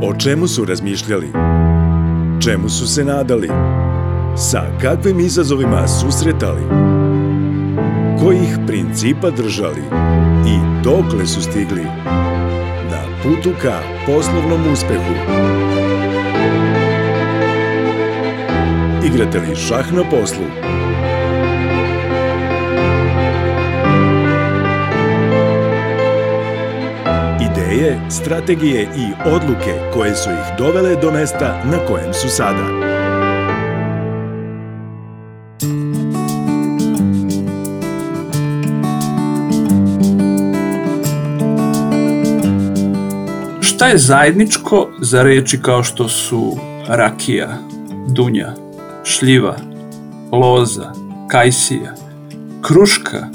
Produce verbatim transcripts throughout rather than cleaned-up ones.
O čemu su razmišljali? Čemu su se nadali? Sa kakvim izazovima susretali? Kojih principa držali? I dokle su stigli? Na putu ka poslovnom uspehu. Igrate li šah na poslu? Ideje, strategije i odluke koje su ih dovele do mesta na kojem su sada. Šta je zajedničko za reči kao što su rakija, dunja, šljiva, loza, kajsija, kruška?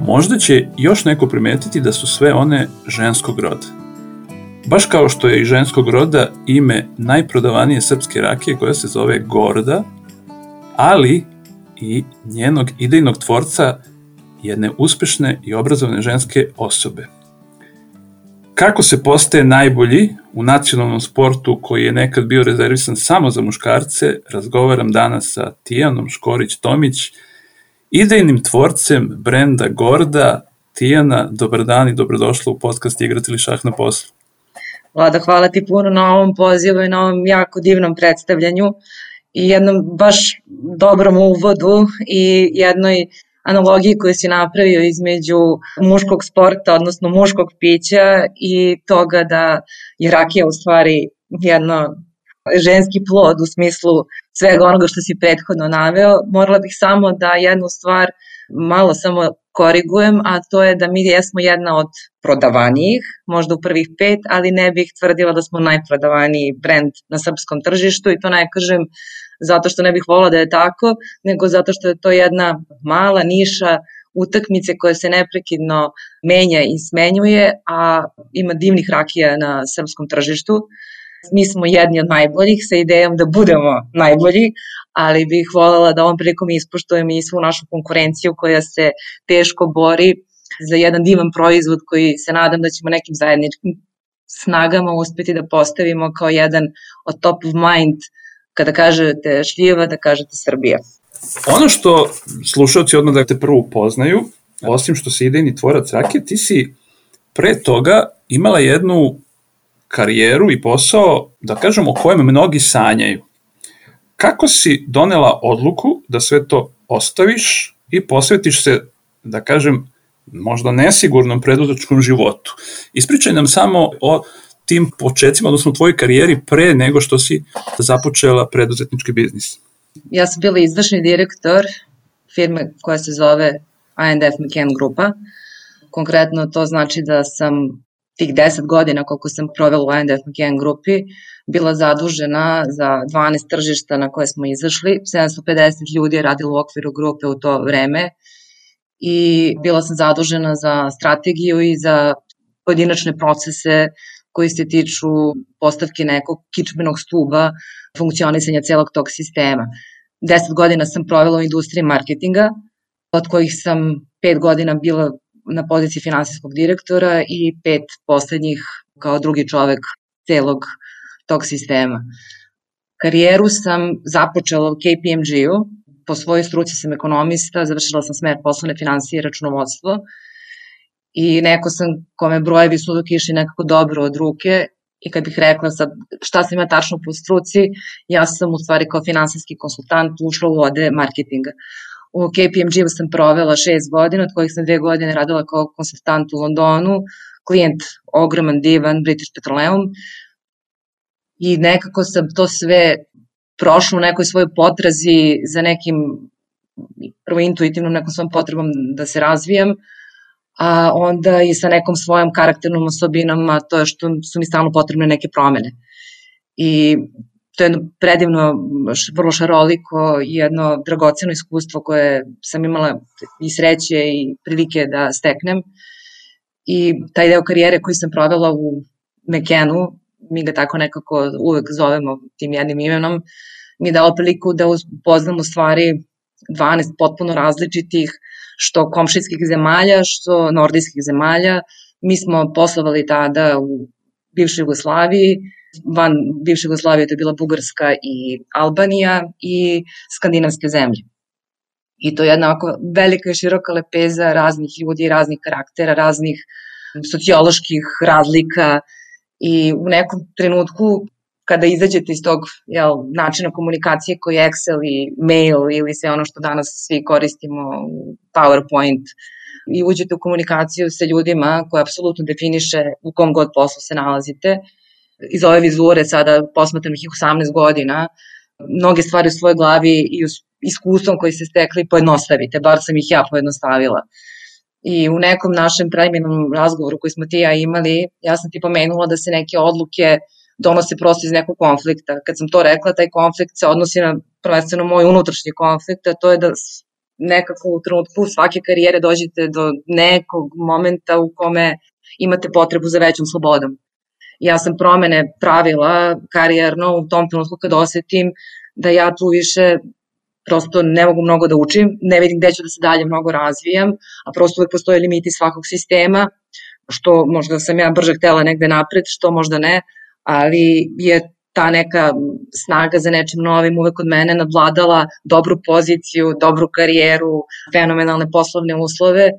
Možda će još neko primetiti da su sve one ženskog roda. Baš kao što je i ženskog roda ime najprodavanije srpske rakije koja se zove Gorda, ali i njenog idejnog tvorca, jedne uspešne i obrazovane ženske osobe. Kako se postaje najbolji u nacionalnom sportu koji je nekad bio rezervisan samo za muškarce, razgovaram danas sa Tijanom Škorić-Tomić, idejnim tvorcem brenda Gorda. Tijana, dobar dan i dobrodošla u podcast Igrate li šah na poslu. Vlada, hvala ti puno na ovom pozivu i na ovom jako divnom predstavljanju i jednom baš dobrom uvodu i jednoj analogiji koju si napravio između muškog sporta, odnosno muškog pića i toga da je rakija u stvari jedno ženski plod u smislu svega onoga što si prethodno naveo. Morala bih samo da jednu stvar malo samo korigujem, a to je da mi jesmo jedna od prodavanijih, možda u prvih pet, ali ne bih tvrdila da smo najprodavaniji brend na srpskom tržištu i to ne kažem zato što ne bih volila da je tako, nego zato što je to jedna mala niša utakmice koja se neprekidno menja i smenjuje, a ima divnih rakija na srpskom tržištu. Mi smo jedni od najboljih sa idejom da budemo najbolji, ali bih voljela da ovom prilikom ispoštujem i svu našu konkurenciju koja se teško bori za jedan divan proizvod koji se nadam da ćemo nekim zajedničkim snagama uspeti da postavimo kao jedan od top of mind kada kažete šljiva, da kažete Srbija. Ono što slušalci odmah da te prvo upoznaju, osim što si idejni tvorac rakije, ti si pre toga imala jednu karijeru i posao, da kažemo, o kojem mnogi sanjaju. Kako si donela odluku da sve to ostaviš i posvetiš se, da kažem, možda nesigurnom preduzetničkom životu? Ispričaj nam samo o tim početcima, odnosno tvojoj karijeri pre nego što si započela preduzetnički biznis. Ja sam bila izvršni direktor firme koja se zove A and F McCann Grupa. Konkretno to znači da sam tih deset godina koliko sam provela u A and F McCann Grupi bila zadužena za dvanaest tržišta na koje smo izašli. sedamsto pedeset ljudi je radilo u okviru grupe u to vreme i bila sam zadužena za strategiju i za pojedinačne procese koji se tiču postavke nekog kičmenog stuba funkcionisanja celog tog sistema. Deset godina sam provela u industriji marketinga, od kojih sam pet godina bila na poziciji finansijskog direktora i pet poslednjih kao drugi čovek celog tog sistema. Karijeru sam započela u K P M G-u, po svojoj struci sam ekonomista, završila sam smer poslovne finansije i računovodstvo i neko sam kome brojevi su uvek išli nekako dobro od ruke i kad bih rekla sad šta sam ima tačno po struci, ja sam u stvari kao finansijski konsultant ušla u vode marketinga. U K P M G-u sam provela šest godina, od kojih sam dve godine radila kao konsultant u Londonu, klijent ogroman, divan, British Petroleum i nekako sam to sve prošla u nekoj svojoj potrazi za nekim, prvo intuitivnom nekom svojom potrebom da se razvijam, a onda i sa nekom svojom karakternom osobinom, a to je što su mi stalno potrebne neke promene. I to je jedno predivno, vrlo šaroliko i jedno dragoceno iskustvo koje sam imala i sreće i prilike da steknem. I taj deo karijere koji sam provela u McCannu, mi ga tako nekako uvek zovemo tim jednim imenom, mi je dalo priliku da upoznam u stvari dvanaest potpuno različitih, što komšijskih zemalja, što nordijskih zemalja. Mi smo poslovali tada u bivšoj Jugoslaviji, van bivše Jugoslavije to je bila Bugarska i Albanija i skandinavske zemlje. I to je jedna ovako velika i široka lepeza raznih ljudi, raznih karaktera, raznih socioloških razlika i u nekom trenutku kada izađete iz tog jel, načina komunikacije koji je Excel i mail ili sve ono što danas svi koristimo, PowerPoint, i uđete u komunikaciju sa ljudima koja apsolutno definiše u kom god poslu se nalazite. Iz ove vizure sada posmatram ih osamnaest godina, mnoge stvari u svojoj glavi i iskustvom koji se stekli pojednostavite, bar sam ih ja pojednostavila. I u nekom našem preliminarnom razgovoru koji smo ti ja imali, ja sam ti pomenula da se neke odluke donose prosto iz nekog konflikta. Kad sam to rekla, taj konflikt se odnosi na prvenstveno moj unutrašnji konflikt, a to je da nekako u trenutku svake karijere dođete do nekog momenta u kome imate potrebu za većom slobodom. Ja sam promene pravila karijerno u tom trenutku kad osetim da ja tu više prosto ne mogu mnogo da učim, ne vidim gde ću da se dalje mnogo razvijam, a prosto uvek postoje limiti svakog sistema, što možda sam ja brže htela negde napred, što možda ne, ali je ta neka snaga za nečim novim uvek kod mene nadvladala dobru poziciju, dobru karijeru, fenomenalne poslovne uslove.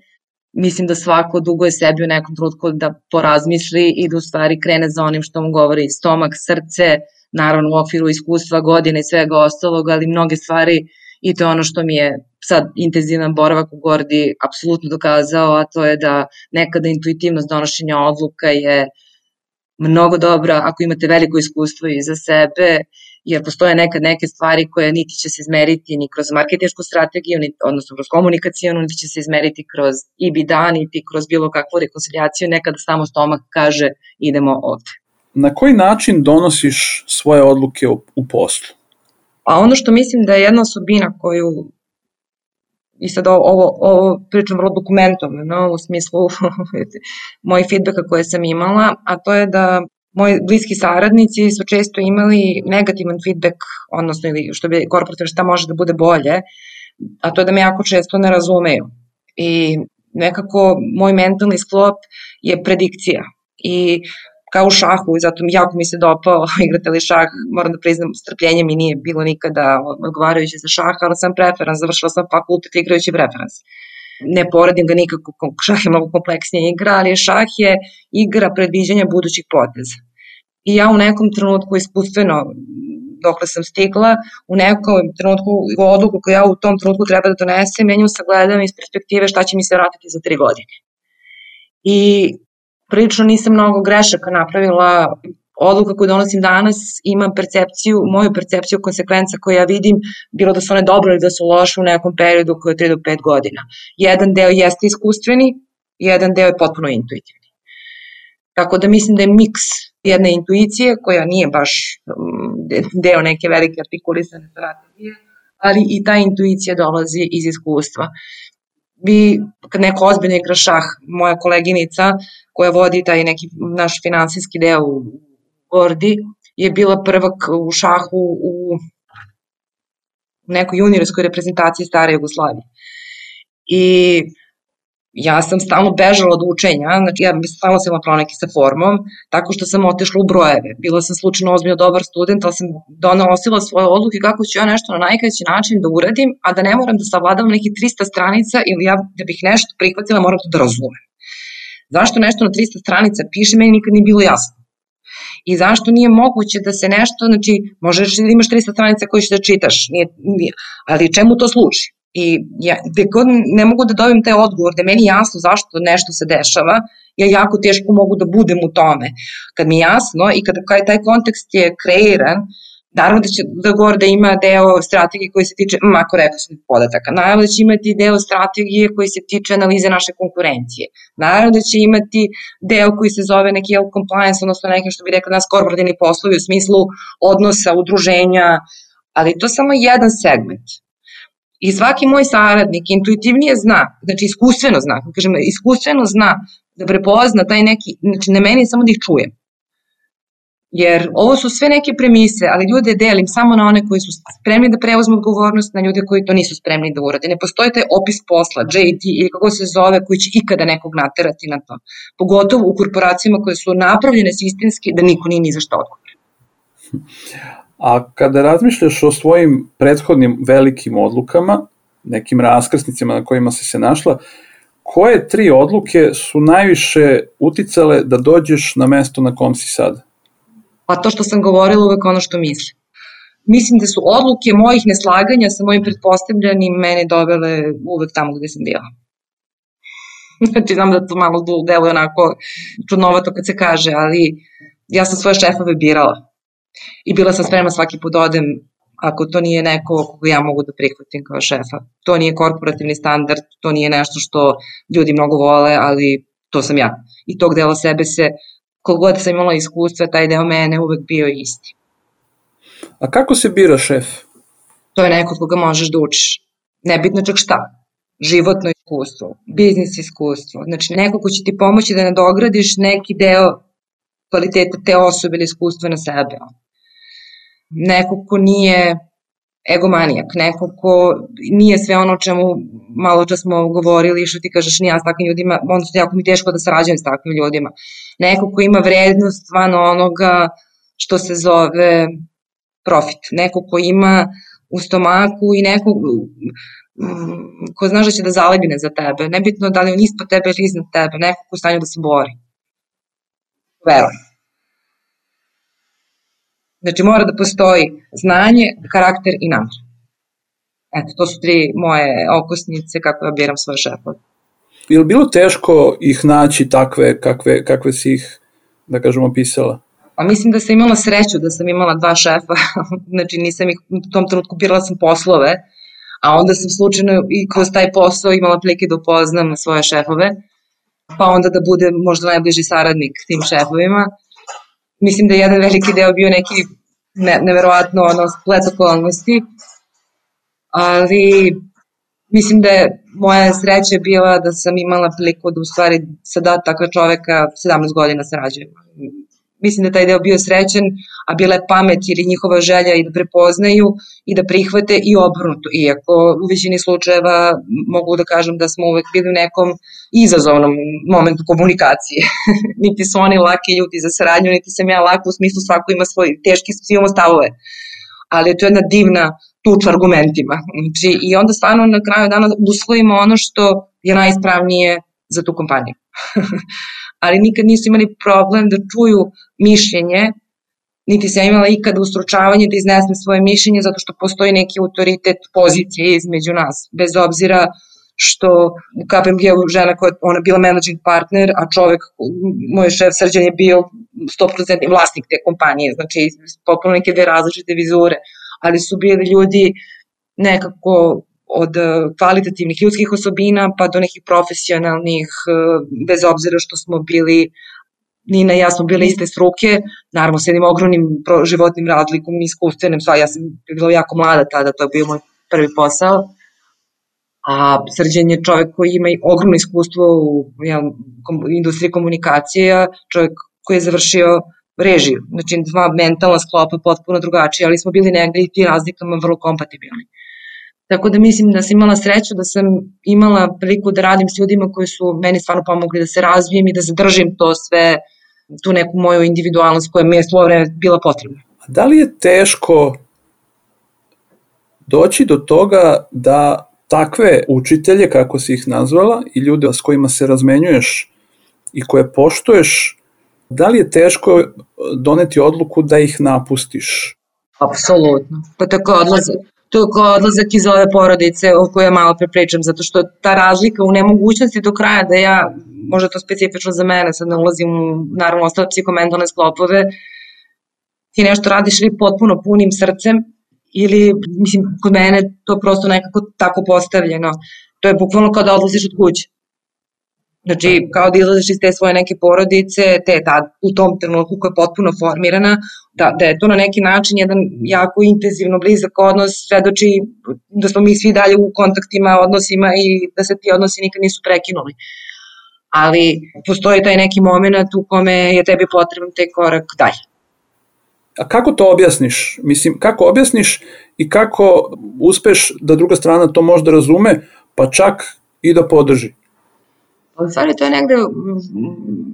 Mislim da svako duguje sebi u nekom trenutku da porazmisli i da u stvari krene za onim što mu govori stomak, srce, naravno u okviru iskustva, godine i svega ostalog, ali mnoge stvari i to je ono što mi je sad intenzivan boravak u Gordi apsolutno dokazao, a to je da nekada intuitivnost donošenja odluka je mnogo dobra ako imate veliko iskustvo iza sebe, jer postoje nekad neke stvari koje niti će se izmeriti ni kroz marketinšku strategiju, odnosno kroz komunikacijonu, niti će se izmeriti kroz E B D A, niti kroz bilo kakvu rekonciliaciju, nekada samo stomak kaže idemo ovde. Na koji način donosiš svoje odluke u poslu? A ono što mislim da je jedna osobina koju, i sad ovo, ovo pričam vrlo dokumentovano, no, u smislu mojih feedbacka koje sam imala, a to je da moji bliski saradnici su često imali negativan feedback, odnosno ili što bi korporativno šta može da bude bolje, a to je da me jako često ne razumeju. I nekako moj mentalni sklop je predikcija. I kao u šahu, zato jako mi se dopao igrate li šah, moram da priznam, strpljenje mi nije bilo nikada odgovarajuće za šah, ali sam preferans, završila sam fakultet igrajući preferans. Ne poredim ga nikako, šah je mnogo kompleksnija igra, ali šah je igra predviđanja budućih poteza. I ja u nekom trenutku iskustveno, dokle sam stigla, u nekom trenutku odluku koju ja u tom trenutku treba da donesem, ja nju sagledam iz perspektive šta će mi se vratiti za tri godine. I prilično nisam mnogo grešaka napravila, odluka koju donosim danas ima percepciju, moju percepciju konsekvenca koje ja vidim, bilo da su one dobre ili da su loše u nekom periodu koji je tri do pet godina. Jedan deo jeste iskustveni, jedan deo je potpuno intuitivni. Tako da mislim da je miks jedne intuicije koja nije baš deo neke velike artikulisane strategije, ali i ta intuicija dolazi iz iskustva. Vi, kad neko ozbiljno igra šah, moja koleginica koja vodi taj neki naš finansijski deo u Gordi, je bila prvak u šahu u nekoj juniorskoj reprezentaciji stare Jugoslavije. I ja sam stalno bežala od učenja, znači ja bi stalno se imala proneke sa formom, tako što sam otešla u brojeve. Bila sam slučajno ozbiljno dobar student, ali sam donosila svoje odluke kako ću ja nešto na najkraći način da uradim, a da ne moram da savladavam nekih trista stranica ili ja da bih nešto prihvatila, moram to da razumem. Zašto nešto na trista stranica piše, meni nikad nije bilo jasno. I zašto nije moguće da se nešto, znači možeš da imaš trista stranica koje ćeš da čitaš, nije, nije, ali čemu to služi? I ja, gde god ne mogu da dobijem taj odgovor, da je meni jasno zašto nešto se dešava, ja jako teško mogu da budem u tome. Kad mi je jasno i kada taj kontekst je kreiran, naravno da će da govor da ima deo strategije koji se tiče makroekonomskih podataka, naravno da će imati deo strategije koji se tiče analize naše konkurencije, naravno da će imati deo koji se zove neki compliance, odnosno neki što bi rekla nas korporativni poslovi u smislu odnosa, udruženja, ali to je samo jedan segment. I svaki moj saradnik intuitivnije zna, znači iskustveno zna, kažem, iskustveno zna da prepozna taj neki, znači ne meni samo da ih čujem. Jer ovo su sve neke premise, ali ljude delim samo na one koji su spremni da preuzmu odgovornost, na ljude koji to nisu spremni da urade. Ne postoji taj opis posla, J D ili kako se zove, koji će ikada nekog naterati na to. Pogotovo u korporacijama koje su napravljene sistemski da niko nije ni za što odgovoran. A kada razmišljaš o svojim prethodnim velikim odlukama, nekim raskrsnicama na kojima si se našla, koje tri odluke su najviše uticale da dođeš na mesto na kom si sad? Pa to što sam govorila uvek ono što mislim. Mislim da su odluke mojih neslaganja sa mojim pretpostavljanim mene dovele uvek tamo gde sam bila. Znači, znam da to malo deluje onako čudnovato kad se kaže, ali ja sam svoje šefove birala. I bila sam spremna svaki put odem ako to nije neko koga ja mogu da prihvatim kao šefa. To nije korporativni standard, to nije nešto što ljudi mnogo vole, ali to sam ja. I tog dela sebe se, koliko god sam imala iskustva, taj deo mene uvek bio isti. A kako se bira šef? To je neko koga možeš da učiš. Nebitno čak šta. Životno iskustvo, biznis iskustvo. Znači neko ko će ti pomoći da nadogradiš neki deo kvaliteta te osobe ili iskustva na sebe. Neko ko nije egomanijak, neko ko nije sve ono čemu malo čas smo govorili, što ti kažeš nije s takvim ljudima, onda jako mi teško da sarađujem s takvim ljudima. Neko ko ima vrednost van onoga što se zove profit. Neko ko ima u stomaku i neko ko znaš da će da zalegne za tebe. Nebitno da li on ispod tebe ili iznad tebe, neko ko u stanju da se bori. Verujem. Znači mora da postoji znanje, karakter i namjer. Eto, to su tri moje okosnice kako ja biram svoje šefove. Je li bilo teško ih naći takve kakve, kakve si ih, da kažemo, opisala? Pa mislim da sam imala sreću da sam imala dva šefa, znači nisam ih, u tom trenutku birala sam poslove, a onda sam slučajno i kroz taj posao imala prilike da upoznam svoje šefove, pa onda da budem možda najbliži saradnik tim šefovima. Mislim da je jedan veliki deo bio neki ne, neverovatno ono, splet okolnosti, ali mislim da je moja sreća bila da sam imala priliku da u stvari sada takva čoveka sedamnaest godina sarađujem. Mislim da je taj deo bio srećen, a bila je pamet ili njihova želja i da prepoznaju i da prihvate i obrnuto. Iako u većini slučajeva mogu da kažem da smo uvek bili u nekom izazovnom momentu komunikacije. Niti su oni laki ljudi za saradnju, niti sam ja laka u smislu svako ima svoj teški, svi imamo stavove. Ali to je jedna divna tuča argumentima. Znači, i onda stvarno na kraju dana usvojimo ono što je najispravnije za tu kompaniju. Ali nikad nisu imali problem da čuju mišljenje, niti sam imala ikada ustručavanje da iznesem svoje mišljenje zato što postoji neki autoritet pozicije između nas, bez obzira što u K P M G-u žena koja ona bila managing partner, a čovek, moj šef Srđan je bio sto posto vlasnik te kompanije, znači potpuno neke dve različite vizure, ali su bili ljudi nekako od kvalitativnih ljudskih osobina pa do nekih profesionalnih, bez obzira što smo bili, Nina i ja smo bile iste struke, naravno s jednim ogromnim životnim razlikom i iskustvenim, ja sam bila jako mlada tada, to je bio moj prvi posao, a Srđan je čovek koji ima ogromno iskustvo u ja, industriji komunikacije, čovek koji je završio režiju, znači dva mentalna sklopa potpuno drugačije, ali smo bili negde i ti razlikama vrlo kompatibilni. Tako da mislim da sam imala sreću da sam imala priliku da radim s ljudima koji su meni stvarno pomogli da se razvijem i da zadržim to sve, tu neku moju individualnost koja mi je svo vreme bila potrebna. Da li je teško doći do toga da takve učitelje, kako si ih nazvala, i ljude s kojima se razmenjuješ i koje poštuješ, da li je teško doneti odluku da ih napustiš? Apsolutno. Pa tako odlaze. To je kao odlazak iz ove porodice o kojoj ja malo prepričam, zato što ta razlika u nemogućnosti do kraja da ja, možda to specifično za mene, sad ne ulazim u naravno ostale psihamentalne sklopove, ti nešto radiš ili potpuno punim srcem ili, mislim, kod mene to prosto nekako tako postavljeno. To je bukvalno kao da odlaziš od kuće. Znači, kao da izlaziš iz te svoje neke porodice, te tad, u tom trenutku koja je potpuno formirana, da, da je to na neki način jedan jako intenzivno blizak odnos, svedoči da smo mi svi dalje u kontaktima, odnosima i da se ti odnosi nikad nisu prekinuli. Ali postoji taj neki moment u kome je tebi potreban taj korak dalje. A kako to objasniš? Mislim, kako objasniš i kako uspeš da druga strana to možda razume, pa čak i da podrži? U stvari, to je negde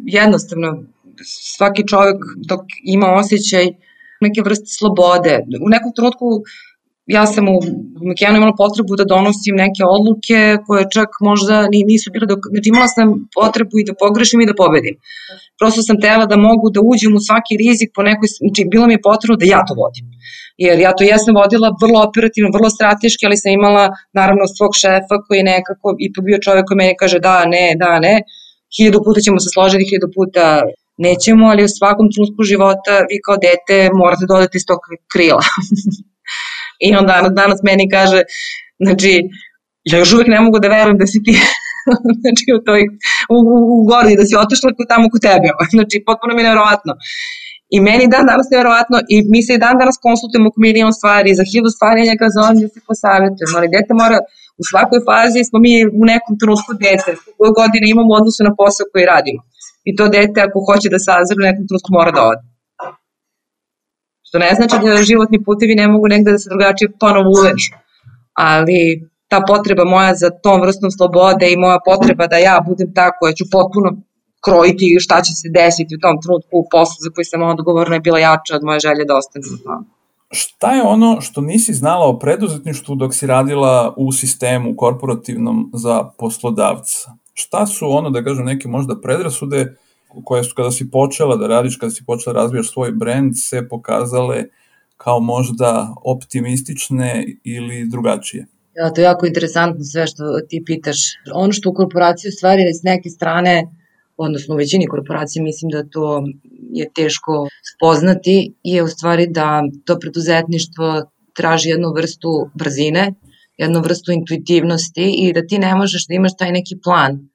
jednostavno. Svaki čovjek dok ima osjećaj neke vrste slobode. U nekom trenutku ja sam u McKennu imala potrebu da donosim neke odluke koje čak možda nisu bile, dok, znači imala sam potrebu i da pogrešim i da pobedim. Prosto sam tela da mogu da uđem u svaki rizik po nekoj, znači bilo mi je potrebno da ja to vodim. Jer ja to jesam vodila vrlo operativno, vrlo strateški, ali sam imala naravno svog šefa koji je nekako ipak bio čovjek koji meni kaže da, ne, da, ne, hiljadu puta ćemo se složiti, hiljadu puta nećemo, ali u svakom trenutku života vi kao dete morate da odete iz tog krila. I on danas, danas meni kaže, znači, ja još uvek ne mogu da verujem da si ti znači, u, toj, u, u, u gori, da si otišla tamo kod tebe. Znači, potpuno mi je nevjerovatno. I meni dan danas nevjerovatno i mi se i dan danas konsultujemo oko milion stvari, za hiljadu stvari ja njega zovem da se posavjetujemo, ali dete mora, u svakoj fazi smo mi u nekom trenutku dete, koje godine imamo u odnosu na posao koji radimo. I to dete ako hoće da sazre u nekom trenutku mora da ode. Što ne znači da životni putevi ne mogu negde da se drugačije ponovo uvežu, ali ta potreba moja za tom vrstom slobode i moja potreba da ja budem ta koja ću potpuno krojiti šta će se desiti u tom trenutku u poslu za koji sam odgovorna je bila jača od moje želje da ostane za to. Šta je ono što nisi znala o preduzetništvu dok si radila u sistemu korporativnom za poslodavca? Šta su ono, da kažem, neke možda predrasude koje su kada si počela da radiš, kada si počela da razvijaš svoj brend, se pokazale kao možda optimistične ili drugačije? Ja, to je jako interesantno sve što ti pitaš. Ono što u korporaciji u stvari s neke strane, odnosno u većini korporacije, mislim da to je teško spoznati, je u stvari da to preduzetništvo traži jednu vrstu brzine, jednu vrstu intuitivnosti i da ti ne možeš da imaš taj neki plan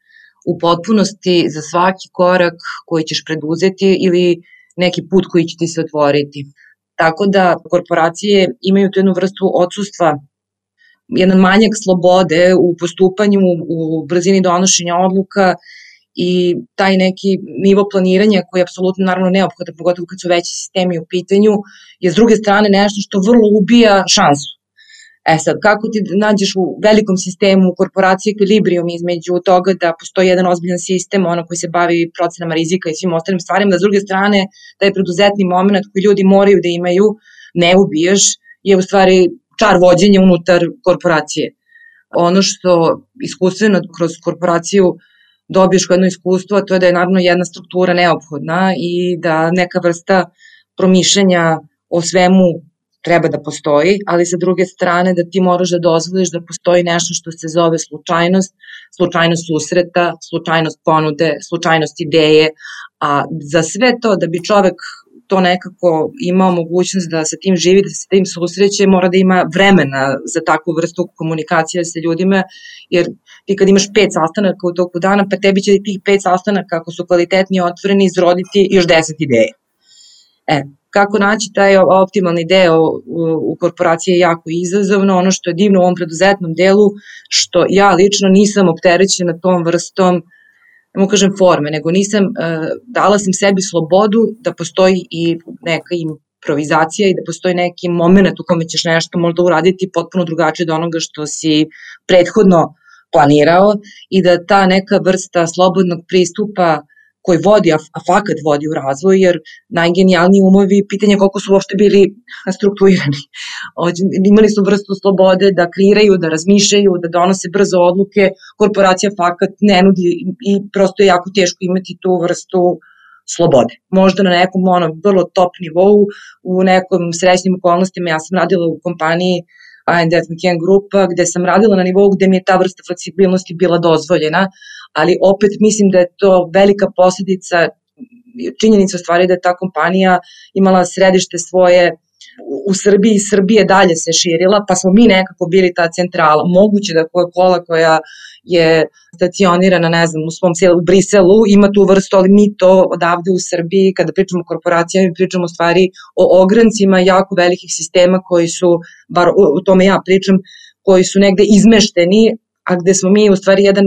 u potpunosti za svaki korak koji ćeš preduzeti ili neki put koji će ti se otvoriti. Tako da korporacije imaju tu jednu vrstu odsustva, jedan manjak slobode u postupanju, u brzini donošenja odluka i taj neki nivo planiranja koji je apsolutno naravno neophodan, pogotovo kad su veći sistemi u pitanju, je s druge strane nešto što vrlo ubija šansu. E sad, kako ti nađeš u velikom sistemu, u korporaciji ekvilibrijum između toga da postoji jedan ozbiljan sistem, ono koji se bavi procenama rizika i svim ostalim stvarima, da s druge strane taj preduzetni moment koji ljudi moraju da imaju, ne ubiješ, je u stvari čar vođenja unutar korporacije. Ono što iskustveno kroz korporaciju dobiješ kao jedno iskustvo, to je da je naravno jedna struktura neophodna i da neka vrsta promišljanja o svemu treba da postoji, ali sa druge strane da ti moraš da dozvoliš da postoji nešto što se zove slučajnost, slučajnost susreta, slučajnost ponude, slučajnost ideje, a za sve to da bi čovek to nekako imao mogućnost da sa tim živi, da se tim susreće, mora da ima vremena za takvu vrstu komunikacije sa ljudima, jer ti kad imaš pet sastanaka u toku dana, pa tebi će tih pet sastanaka, ako su kvalitetni i otvoreni, izroditi još deset ideja. E, kako naći taj optimalni deo u korporaciji je jako izazovno, ono što je divno u ovom preduzetnom delu, što ja lično nisam opterećena tom vrstom, ne mogu kažem forme, nego nisam, dala sam sebi slobodu da postoji i neka improvizacija i da postoji neki moment u kome ćeš nešto možda uraditi potpuno drugačije od onoga što si prethodno planirao i da ta neka vrsta slobodnog pristupa koji vodi, a fakat vodi u razvoj, jer najgenijalniji umovi, pitanje koliko su uopšte bili strukturirani. Imali su vrstu slobode da kreiraju, da razmišljaju, da donose brzo odluke, korporacija fakat ne nudi i prosto je jako teško imati tu vrstu slobode. Možda na nekom ono, vrlo top nivou, u nekom srećnim okolnostima, ja sam radila u kompaniji A and F McKen Grupa, gde sam radila na nivou gde mi je ta vrsta fleksibilnosti bila dozvoljena, ali opet mislim da je to velika posledica, činjenica u stvari da je ta kompanija imala središte svoje u Srbiji, Srbije dalje se širila, pa smo mi nekako bili ta centrala. Moguće da Coca-Cola koja je stacionirana, ne znam, u svom selu, u Briselu, ima tu vrstu, ali mi to odavde u Srbiji, kada pričamo o korporacijama, mi pričamo u stvari o ograncima jako velikih sistema koji su, bar o tome ja pričam, koji su negde izmešteni, a gde smo mi u stvari jedan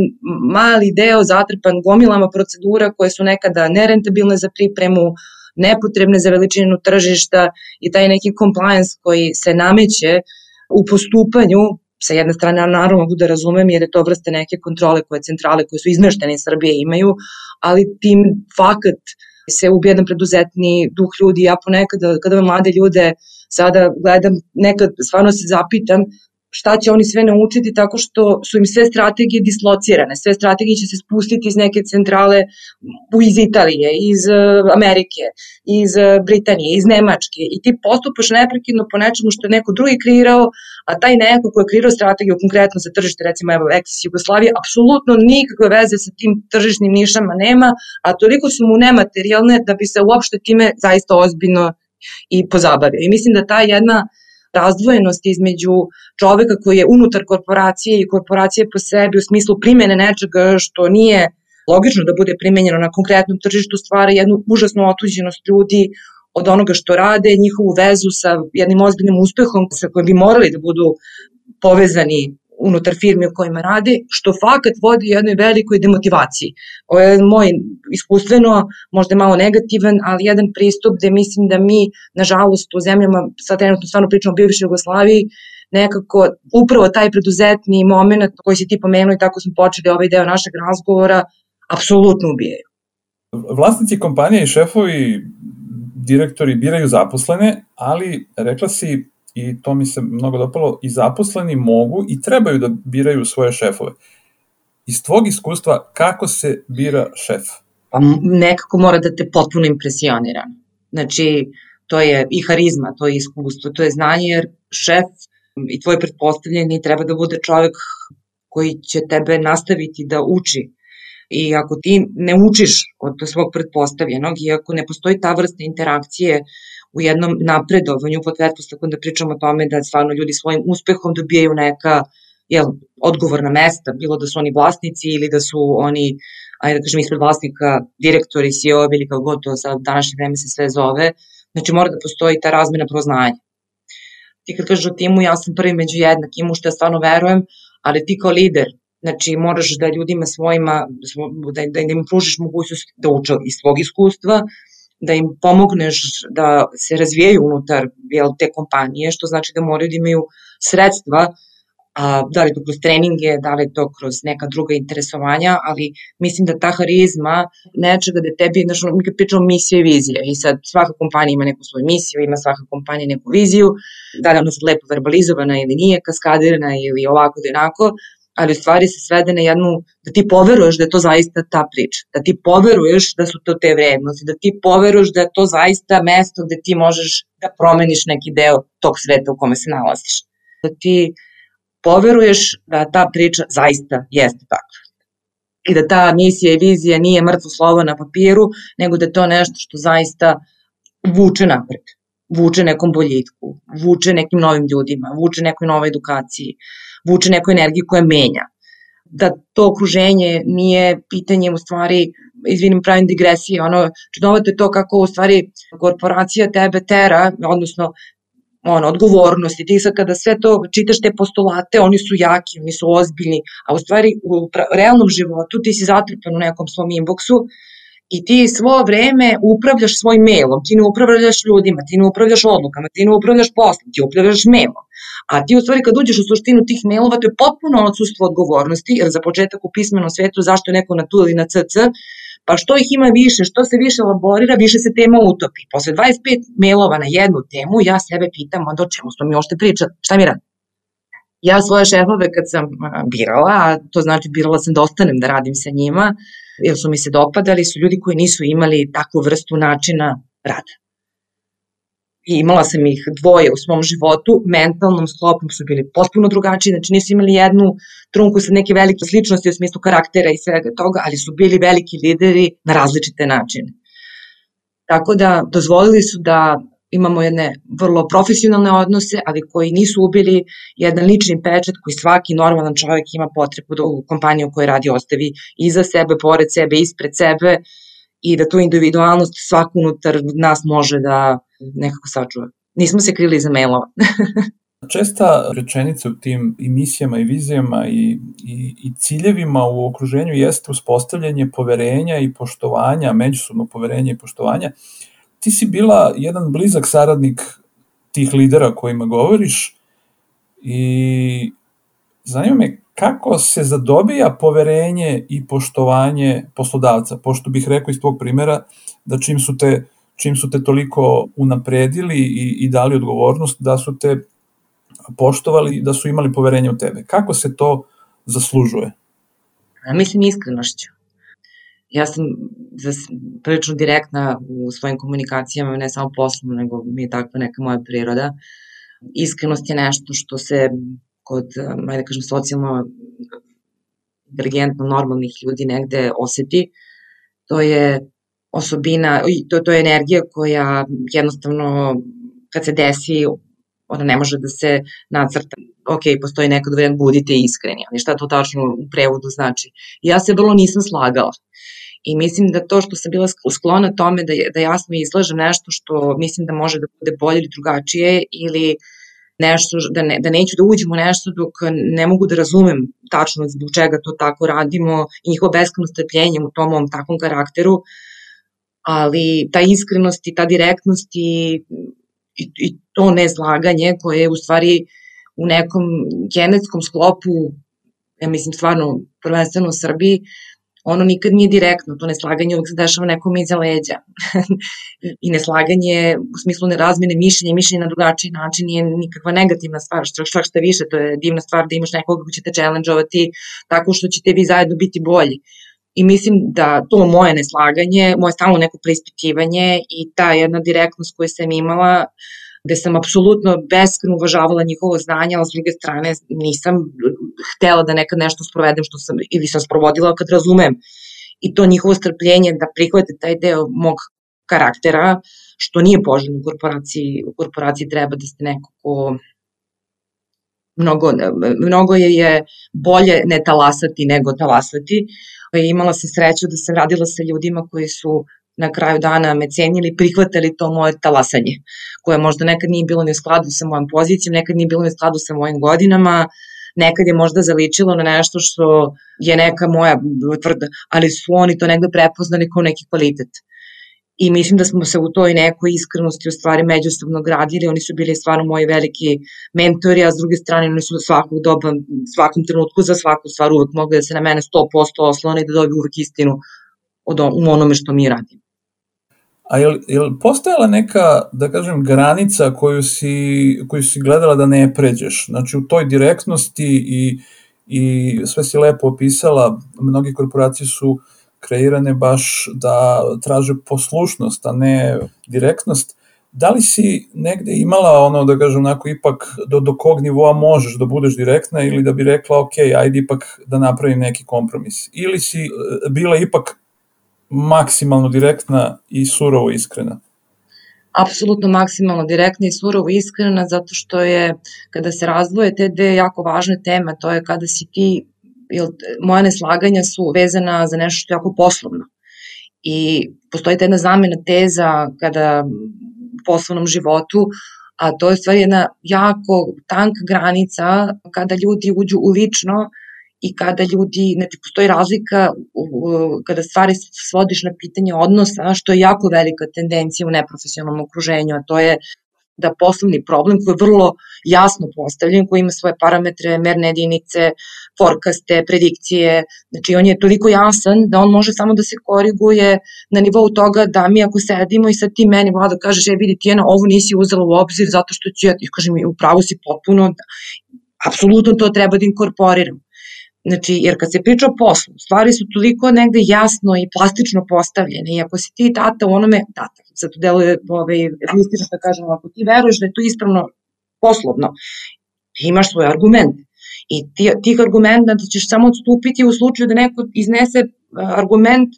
mali deo zatrpan gomilama procedura koje su nekada nerentabilne za pripremu, nepotrebne za veličinu tržišta i taj neki compliance koji se nameće u postupanju, sa jedne strane naravno mogu da razumem jer je to vrste neke kontrole koje centrale koje su izmeštene iz Srbije imaju, ali tim fakat se ubije jedan preduzetni duh ljudi. Ja ponekad kada mlade ljude sada gledam, nekad stvarno se zapitam šta će oni sve naučiti tako što su im sve strategije dislocirane, sve strategije će se spustiti iz neke centrale iz Italije, iz Amerike, iz Britanije, iz Nemačke i ti postupaš neprekidno po nečemu što je neko drugi kreirao, a taj neko ko je kreirao strategiju konkretno za tržište, recimo evo Exis Jugoslavije, apsolutno nikakve veze sa tim tržišnim nišama nema, a toliko su mu nematerijalne da bi se uopšte time zaista ozbiljno i pozabavio. I mislim da ta jedna razdvojenost između čoveka koji je unutar korporacije i korporacije po sebi u smislu primene nečega što nije logično da bude primenjeno na konkretnom tržištu stvara jednu užasnu otuđenost ljudi od onoga što rade, njihovu vezu sa jednim ozbiljnim uspehom sa kojim bi morali da budu povezani unutar firme u kojima rade, što fakat vodi jednoj velikoj demotivaciji. Ovo je moj iskustveno, možda malo negativan, ali jedan pristup gde mislim da mi, nažalost, u zemljama, sad trenutno stvarno pričamo o bivšoj Jugoslaviji, nekako upravo taj preduzetni moment koji si ti pomenuo i tako smo počeli ovaj deo našeg razgovora, apsolutno ubijaju. Vlasnici kompanije i šefovi, direktori biraju zaposlene, ali rekla si, i to mi se mnogo dopalo, i zaposleni mogu i trebaju da biraju svoje šefove. Iz tvog iskustva, kako se bira šef? Pa nekako mora da te potpuno impresionira. Znači, to je i harizma, to je iskustvo, to je znanje, jer šef i tvoj pretpostavljeni treba da bude čovek koji će tebe nastaviti da uči. I ako ti ne učiš od svog pretpostavljenog i ako ne postoji ta vrsta interakcije u jednom napredovanju, pod pretpostavkom da pričamo o tome da stvarno ljudi svojim uspehom dobijaju neka jel, odgovorna mesta, bilo da su oni vlasnici ili da su oni, ajde da kažem, ispred vlasnika, direktori, C E O ili kao god to sa današnje vreme se sve zove, znači mora da postoji ta razmena proznanja. Ti kad kažeš o timu, ja sam prvi među jednakim, u što ja stvarno verujem, ali ti kao lider, znači moraš da ljudima svojima, da, da im pružiš mogućnost da uče iz svog iskustva, da im pomogneš da se razvijaju unutar jel, te kompanije, što znači da moraju da imaju sredstva, a, da li to kroz treninge, da li to kroz neka druga interesovanja, ali mislim da ta harizma nečega da tebi, znači, mi kad pričamo misija i vizija i sad svaka kompanija ima neku svoju misiju, ima svaka kompanija neku viziju, da li ona sad lepo verbalizovana ili nije, kaskadirana ili ovako da onako, ali u stvari se svede na jednu, da ti poveruješ da je to zaista ta priča, da ti poveruješ da su to te vrednosti, da ti poveruješ da je to zaista mesto gde ti možeš da promeniš neki deo tog sveta u kome se nalaziš. Da ti poveruješ da ta priča zaista jeste takva. I da ta misija i vizija nije mrtvo slovo na papiru, nego da je to nešto što zaista vuče napred, vuče nekom boljitku, vuče nekim novim ljudima, vuče nekoj novoj edukaciji, vuče neku energiju koja menja. Da to okruženje nije pitanje u stvari, izvinim pravim digresije, ono, čudnovato je to kako u stvari korporacija tebe tera, odnosno ono, odgovornosti, ti sad kada sve to čitaš te postulate, oni su jaki, oni su ozbiljni, a u stvari u realnom životu ti si zatrpan u nekom svom inboxu i ti svo vreme upravljaš svojim mailom, ti ne upravljaš ljudima, ti ne upravljaš odlukama, ti ne upravljaš poslom, ti upravljaš mailom. A ti u stvari kad uđeš u suštinu tih mailova, to je potpuno odsustvo odgovornosti, jer za početak u pismenom svetu zašto je neko na tu ili na cc, pa što ih ima više, što se više elaborira, više se tema utopi. Posle dvadeset pet mailova na jednu temu, ja sebe pitam, onda o čemu smo mi ošte pričali, šta mi radim? Ja svoje šefove kad sam birala, a to znači birala sam da ostanem da radim sa njima, jer su mi se dopadali, su ljudi koji nisu imali takvu vrstu načina rada. I imala sam ih dvoje u svom životu, mentalnom sklopom su bili potpuno drugačiji, znači nisu imali jednu trunku sa neke velike sličnosti u smislu karaktera i svega toga, ali su bili veliki lideri na različite načine. Tako da dozvolili su da imamo jedne vrlo profesionalne odnose, ali koji nisu ubili jedan lični pečat koji svaki normalan čovjek ima potrebu da u kompaniji u kojoj radi ostavi iza sebe, pored sebe, ispred sebe i da tu individualnost svako unutar nas može da nekako sačuva. Nismo se krili iza mailova. Česta rečenica u tim i misijama i vizijama i, i, i ciljevima u okruženju jeste uspostavljanje poverenja i poštovanja, međusobno poverenja i poštovanja. ti si bila jedan blizak saradnik tih lidera kojima govoriš i zanima me kako se zadobija poverenje i poštovanje poslodavca, pošto bih rekao iz tvog primjera da čim su te, čim su te toliko unapredili i, i dali odgovornost, da su te poštovali, da su imali poverenje u tebe. Kako se to zaslužuje? Mislim iskrenošću. Ja sam prilično direktna u svojim komunikacijama, ne samo poslovno, nego mi je takva neka moja priroda. Iskrenost je nešto što se kod, ajde da kažem, socijalno inteligentno normalnih ljudi negde oseti. To je osobina, to, to je energija koja jednostavno kad se desi, ona ne može da se nacrta. Ok, postoji nekad variant budite iskreni, ali šta to tačno u prevodu znači? Ja se vrlo nisam slagala. I mislim da to što sam bila sklona tome da, da jasno izlažem nešto što mislim da može da bude bolje ili drugačije ili nešto, da, ne, da neću da uđem u nešto dok ne mogu da razumem tačno zbog čega to tako radimo i njihovo beskrajno strpljenje u tom mom takvom karakteru, ali ta iskrenost i ta direktnost i, i, i to nezlaganje koje je u stvari u nekom genetskom sklopu, ja mislim stvarno prvenstveno u Srbiji, ono nikad nije direktno, to neslaganje uvijek se dešava nekom iza leđa. I neslaganje u smislu nerazmene mišljenja, mišljenja na drugačiji način nije nikakva negativna stvar, što šta šta više, to je divna stvar da imaš nekoga ko će te challenge-ovati tako što ćete vi zajedno biti bolji. I mislim da to moje neslaganje, moje stalno neko preispitivanje i ta jedna direktnost koju sam imala, gde sam apsolutno beskrajno uvažavala njihovo znanje, ali s druge strane nisam htela da nekad nešto sprovedem što sam, ili sam sprovodila kad razumem. I to njihovo strpljenje da prihvate taj deo mog karaktera, što nije poželjno u korporaciji. U korporaciji treba da ste neko ko mnogo, mnogo je, je bolje ne talasati nego talasati. I imala sam sreću da sam radila sa ljudima koji su na kraju dana me cenili, prihvatali to moje talasanje, koje možda nekad nije bilo ni u skladu sa mojom pozicijom, nekad nije bilo ni u skladu sa mojim godinama, nekad je možda zaličilo na nešto što je neka moja tvrda, ali su oni to negde prepoznali kao neki kvalitet. I mislim da smo se u toj nekoj iskrenosti u stvari međusobno gradili, oni su bili stvarno moji veliki mentori, a s druge strane oni su svakog doba, svakom trenutku za svaku stvar uvek mogli da se na mene sto posto oslone i da dobiju uvek istinu od on, u onome što mi radimo. A je li, je li postojala neka, da kažem, granica koju si, koju si gledala da ne pređeš? Znači u toj direktnosti i, i sve si lepo opisala, mnogi korporacije su kreirane baš da traže poslušnost, a ne direktnost. Da li si negde imala ono, da kažem, onako ipak do, do kog nivoa možeš da budeš direktna ili da bi rekla ok, ajde ipak da napravim neki kompromis? Ili si bila ipak maksimalno direktna i surovo iskrena? Apsolutno maksimalno direktna i surovo iskrena, zato što je, kada se razdvoje te dve jako važne teme, to je kada si ti, jer moja neslaganja su vezana za nešto što je jako poslovno. I postoji ta jedna zamena teza kada u poslovnom životu, a to je stvari jedna jako tanka granica kada ljudi uđu u lično i kada ljudi, znači postoji razlika kada stvari svodiš na pitanje odnosa, što je jako velika tendencija u neprofesionalnom okruženju, a to je da poslovni problem koji je vrlo jasno postavljen, koji ima svoje parametre, merne jedinice, forecaste, predikcije, znači on je toliko jasan da on može samo da se koriguje na nivou toga da mi ako sedimo i sad ti meni Vlada kažeš, e vidi Tijana, ovo nisi uzela u obzir zato što ću ja, kažem, upravo si potpuno, apsolutno to treba da inkorporiram. Znači, jer kad se priča o poslu, stvari su toliko negde jasno i plastično postavljene i ako si ti tata u onome, tata, sad to deluje ovaj, listično da kažem, ako ti veruješ da je to ispravno poslovno, ti imaš svoj argument i ti, tih argumenta ćeš samo odstupiti u slučaju da neko iznese argument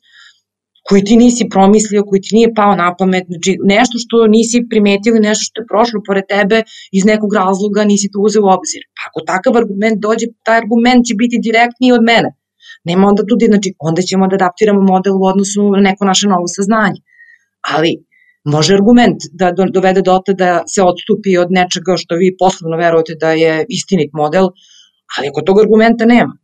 koji ti nisi promislio, koji ti nije pao na pamet, znači nešto što nisi primetili, nešto što je prošlo pored tebe iz nekog razloga nisi to uzeo u obzir. Pa ako takav argument dođe, taj argument će biti direktniji od mene. Nema onda tudi, znači onda ćemo da adaptiramo model u odnosu na neko naše novo saznanje. Ali može argument da dovede do toga da se odstupi od nečega što vi poslovno verujete da je istinit model, ali ako tog argumenta nema,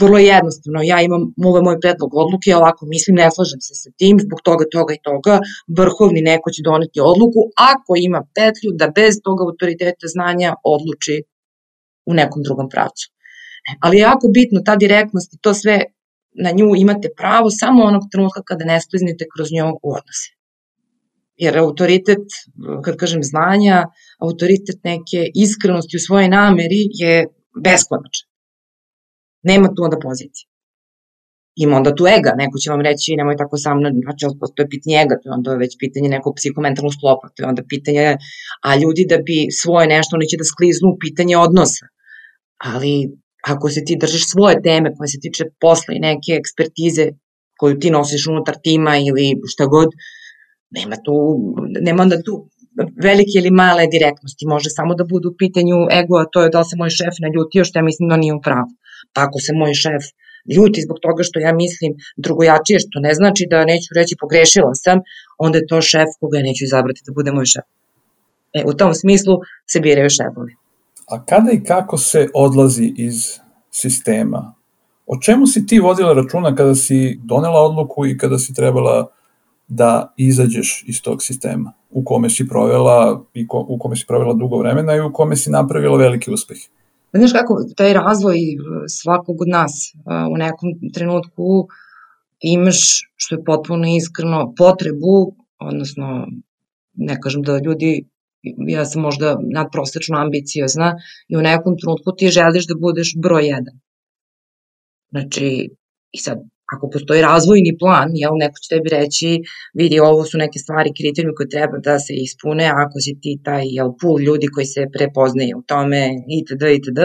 vrlo jednostavno, ja imam ovaj moj predlog odluke, ja ovako mislim, ne slažem se sa tim, zbog toga, toga i toga, vrhovni neko će doneti odluku, ako ima petlju da bez toga autoriteta znanja odluči u nekom drugom pravcu. Ali je jako bitno, ta direktnost i to sve, na nju imate pravo samo onog trenutka kada ne skliznete kroz nju u odnose. Jer autoritet, kad kažem znanja, autoritet neke iskrenosti u svojoj nameri je beskonačan. Nema tu onda pozicije. Ima onda tu ega, neko će vam reći nemoj tako sa mnom, znači to je pitanje ega, to je onda već pitanje nekog psihomentalnog sklopa, to je onda pitanje, a ljudi da bi svoje nešto, oni će da skliznu u pitanje odnosa. Ali ako se ti držiš svoje teme koje se tiče posla i neke ekspertize koju ti nosiš unutar tima ili šta god, nema tu, nema onda tu velike ili male direktnosti, može samo da bude u pitanju ego, a to je da li se moj šef naljutio što ja mislim da nije u pravu. Pa ako se moj šef ljuti zbog toga što ja mislim drugojačije, što ne znači da neću reći pogrešila sam, onda je to šef koga ja neću izabrati da bude moj šef. E, u tom smislu se biraju šefovi. A kada i kako se odlazi iz sistema? O čemu si ti vodila računa kada si donela odluku i kada si trebala da izađeš iz tog sistema u kome si provela i ko, u kome si provela dugo vremena i u kome si napravila veliki uspeh? Znaš kako, taj razvoj svakog od nas u nekom trenutku imaš, što je potpuno iskreno, potrebu, odnosno ne kažem da ljudi, ja sam možda nadprosečno ambiciozna i u nekom trenutku ti želiš da budeš broj jedan. Znači, i sad, ako postoji razvojni plan, jel, neko će tebi reći, vidi, ovo su neke stvari, kriterijumi koje treba da se ispune, ako si ti taj, jel, pool ljudi koji se prepoznaje u tome, itd., itd.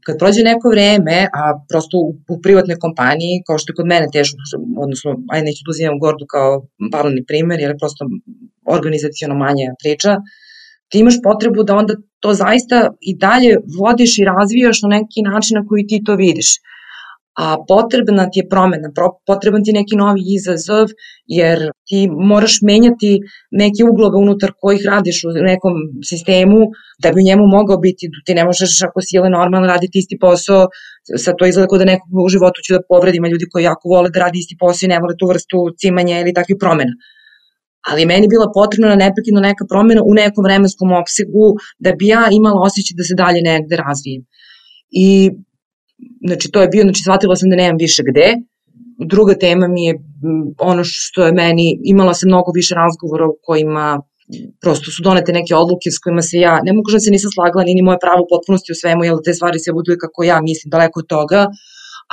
Kad prođe neko vreme, a prosto u, u privatnoj kompaniji, kao što je kod mene teško, odnosno, ajde neću da uzimam Gordu kao paralelni primer, jer je prosto organizaciono manja priča, ti imaš potrebu da onda to zaista i dalje vodiš i razvijaš na neki način na koji ti to vidiš. A potrebna ti je promena, potreban ti je neki novi izazov, jer ti moraš menjati neke uglove unutar kojih radiš u nekom sistemu, da bi u njemu mogao biti, ti ne možeš ako si ili normalno raditi isti posao, sad to izgleda kao da nekog u životu ću da povredim, a ljudi koji jako vole da radi isti posao i ne vole tu vrstu cimanja ili takvih promena. Ali meni je bila potrebna neprekidno neka promena u nekom vremenskom opsegu da bi ja imala osjećaj da se dalje negde razvijem. I znači to je bio, znači shvatila sam da nemam više gde. Druga tema mi je ono što je meni, imala sam mnogo više razgovora u kojima prosto su donete neke odluke s kojima se ja, ne mogu da se nisam slagala, ni moje pravo u potpunosti u svemu, jer te stvari se budu kako ja mislim, daleko od toga,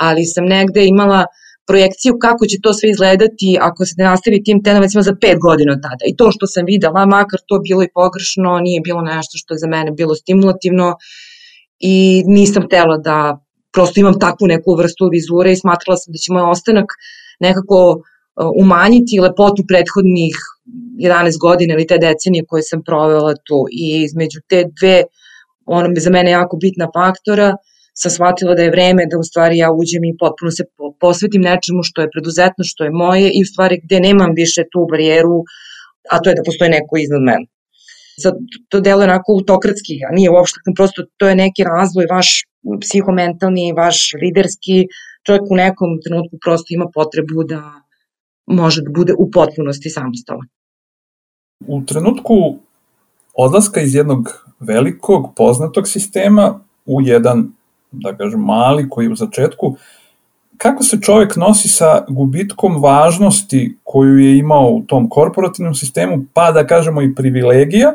ali sam negde imala projekciju kako će to sve izgledati ako se ne nastavi tim tendencijama za pet godina od tada. I to što sam videla, makar to bilo i pogrešno, nije bilo nešto što je za mene bilo stimulativno i nisam htela da prosto imam takvu neku vrstu vizure i smatrala sam da će moj ostanak nekako umanjiti lepotu prethodnih jedanaest godina ili te decenije koje sam provela tu. I između te dve, ono je za mene jako bitna faktora, sam shvatila da je vreme da u stvari ja uđem i potpuno se posvetim nečemu što je preduzetno, što je moje i u stvari gde nemam više tu barijeru, a to je da postoji neko iznad mene. Sad, to deluje onako autokratski, a nije uopšte, prosto to je neki razvoj vaš psihomentalni, vaš liderski, čovjek u nekom trenutku prosto ima potrebu da može da bude u potpunosti samostalan. U trenutku odlaska iz jednog velikog, poznatog sistema u jedan, da kažem, mali koji je u začetku, kako se čovjek nosi sa gubitkom važnosti koju je imao u tom korporativnom sistemu, pa da kažemo i privilegija,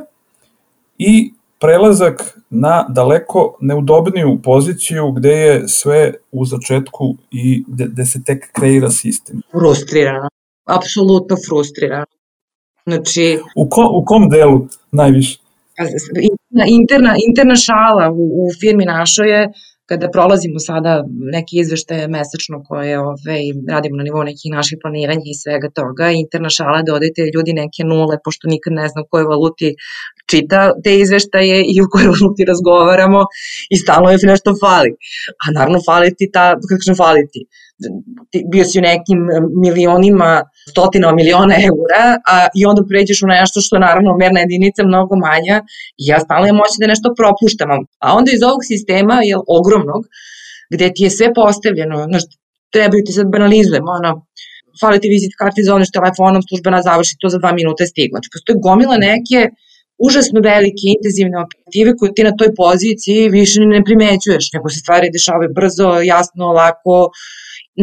i prelazak na daleko neudobniju poziciju gde je sve u začetku i gde, gde se tek kreira sistem? Frustrirano, apsolutno frustrirano. Znači, u, ko, u kom delu najviše? Interna, interna šala u, u firmi našoj je, kada prolazimo sada neke izveštaje mesečno koje ove, radimo na nivou nekih naših planiranja i svega toga, interna šala da odete ljudi neke nule, pošto nikad ne znam u kojoj valuti čita te izveštaje i u kojoj valuti razgovaramo i stalno je nešto fali. A naravno fali ti ta, kako kažem fali ti, bio si u nekim milionima, stotinama miliona eura, a i onda pređeš u nešto što je naravno merna jedinica mnogo manja i ja stalno imam moći da nešto propuštam. A onda iz ovog sistema, je ogromnog, gde ti je sve postavljeno, znaš, trebaju ti sad banalizujemo, ono, fali ti vizit karti, zovneš telefonom, službena završi to za dva minuta je stigla. Znači, postoje gomila neke užasno velike, intenzivne operative koje ti na toj poziciji više ne primećuješ, nego se stvari dešavaju brzo, jasno, lako,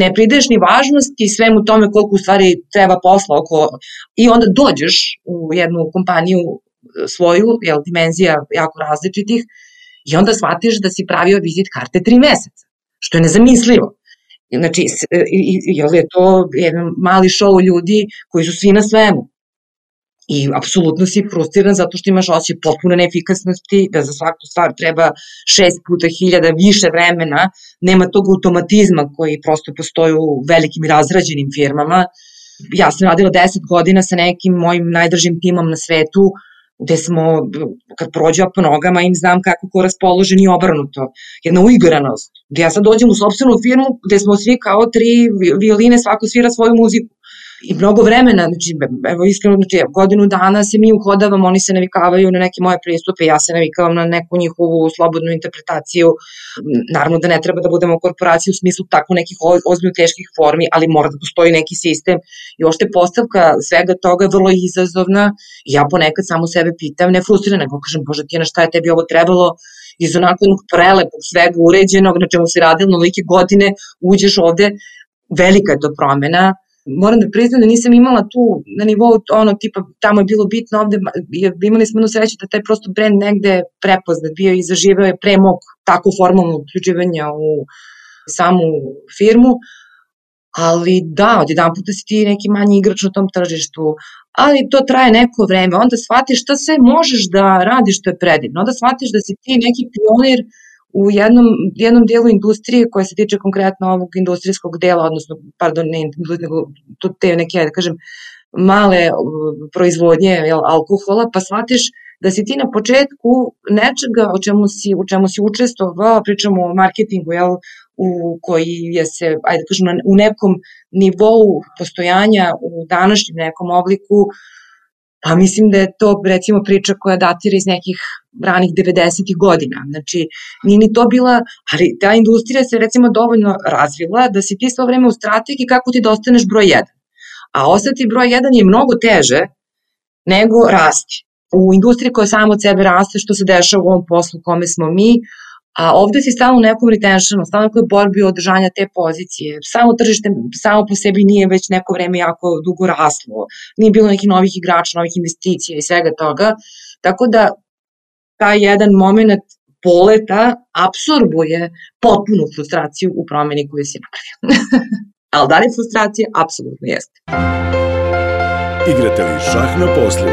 ne prideš ni važnosti svemu tome koliko u stvari treba posla oko, i onda dođeš u jednu kompaniju svoju, jel, dimenzija jako različitih, i onda shvatiš da si pravio vizit karte tri meseca, što je nezamislivo. Znači, jel je to jedan mali show ljudi koji su svi na svemu. I apsolutno si frustriran zato što imaš osjećaj potpune neefikasnosti, da za svaku stvar treba šest puta hiljada više vremena, nema tog automatizma koji prosto postoji u velikim i razrađenim firmama. Ja sam radila deset godina sa nekim mojim najdržim timom na svetu, gde smo, kad prođe po nogama, im znam kako ko raspoložen i obrnuto. Jedna uigranost, gde ja sad dođem u sopstvenu firmu gde smo svi kao tri violine, svako svira svoju muziku. I mnogo vremena, znači, evo iskreno, znači, godinu dana se mi uhodavamo, oni se navikavaju na neke moje pristupe, ja se navikavam na neku njihovu slobodnu interpretaciju. Naravno da ne treba da budemo korporacija u smislu tako nekih ozbiljno teških formi, ali mora da postoji neki sistem. I ošte postavka svega toga je vrlo izazovna i ja ponekad samo sebe pitam, ne frustrirana, nego kažem, Bože, ti na šta je tebi ovo trebalo, iz onako jednog prelepog svega uređenog, na čemu si radila nolike godine, uđeš ovde, velika je to promena. Moram da priznam da nisam imala tu na nivou ono tipa tamo je bilo bitno, ovde imali smo jednu sreću da taj prosto brand negde prepoznat bio i zaživeo je pre mog tako formalnog uključivanja u samu firmu, ali da, odjedan puta si ti neki manji igrač na tom tržištu, ali to traje neko vreme, onda shvatiš šta sve možeš da radiš što je predivno, onda shvatiš da si ti neki pionir u jednom, jednom dijelu industrije koja se tiče konkretno ovog industrijskog dela, odnosno, pardon, ne nego te neke, da kažem, male proizvodnje jel, alkohola, pa shvatiš da si ti na početku nečega o čemu si, u čemu si učestvovao, pričamo o marketingu, jel, u koji je se, ajde da kažem, u nekom nivou postojanja, u današnjem nekom obliku, pa mislim da je to recimo priča koja datira iz nekih ranih devedesetih godina. Znači, nije ni to bila, ali ta industrija se recimo dovoljno razvila da si ti svo vreme u strategiji kako ti da ostaneš broj jedan. A ostati broj jedan je mnogo teže nego rasti. U industriji koja samo od sebe raste, što se dešava u ovom poslu kome smo mi, a ovde si stalno u nekom retentionu, stalno u nekoj borbi održanja te pozicije. Samo tržište samo po sebi nije već neko vreme jako dugo raslo, nije bilo nekih novih igrača, novih investicija i svega toga, tako da taj jedan moment poleta apsorbuje potpunu frustraciju u promeni koju si napravio. Ali da li je frustracija? Apsolutno jeste. Igrate li šah na poslu?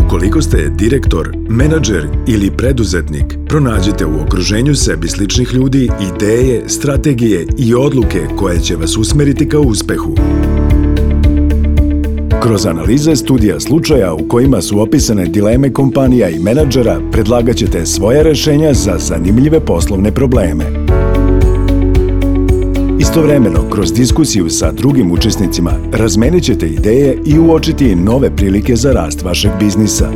Ukoliko ste direktor, menadžer ili preduzetnik, pronađite u okruženju sebi sličnih ljudi ideje, strategije i odluke koje će vas usmeriti ka uspehu. Kroz analize studija slučaja u kojima su opisane dileme kompanija i menadžera, predlagat ćete svoja rešenja za zanimljive poslovne probleme. Istovremeno, kroz diskusiju sa drugim učesnicima, razmenit ćete ideje i uočiti nove prilike za rast vašeg biznisa.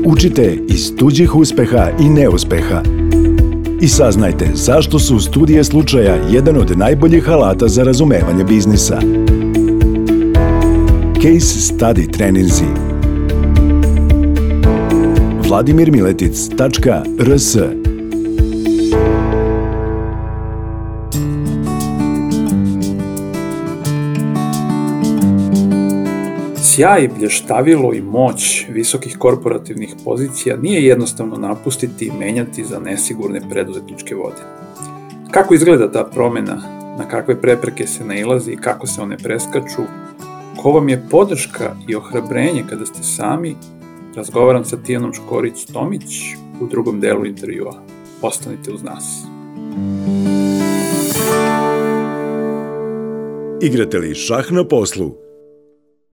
Učite iz tuđih uspeha i neuspeha. I saznajte zašto su studije slučaja jedan od najboljih alata za razumevanje biznisa. Case Study treninzi. vladimir miletic tačka r s Sjaj, blještavilo i moć visokih korporativnih pozicija nije jednostavno napustiti i menjati za nesigurne preduzetničke vode. Kako izgleda ta promena, na kakve prepreke se nailazi i kako se one preskaču, ko vam je podrška i ohrabrenje kada ste sami, razgovaram sa Tijanom Škorić-Tomić u drugom delu intervjua. Ostanite uz nas. Igrate li šah na poslu?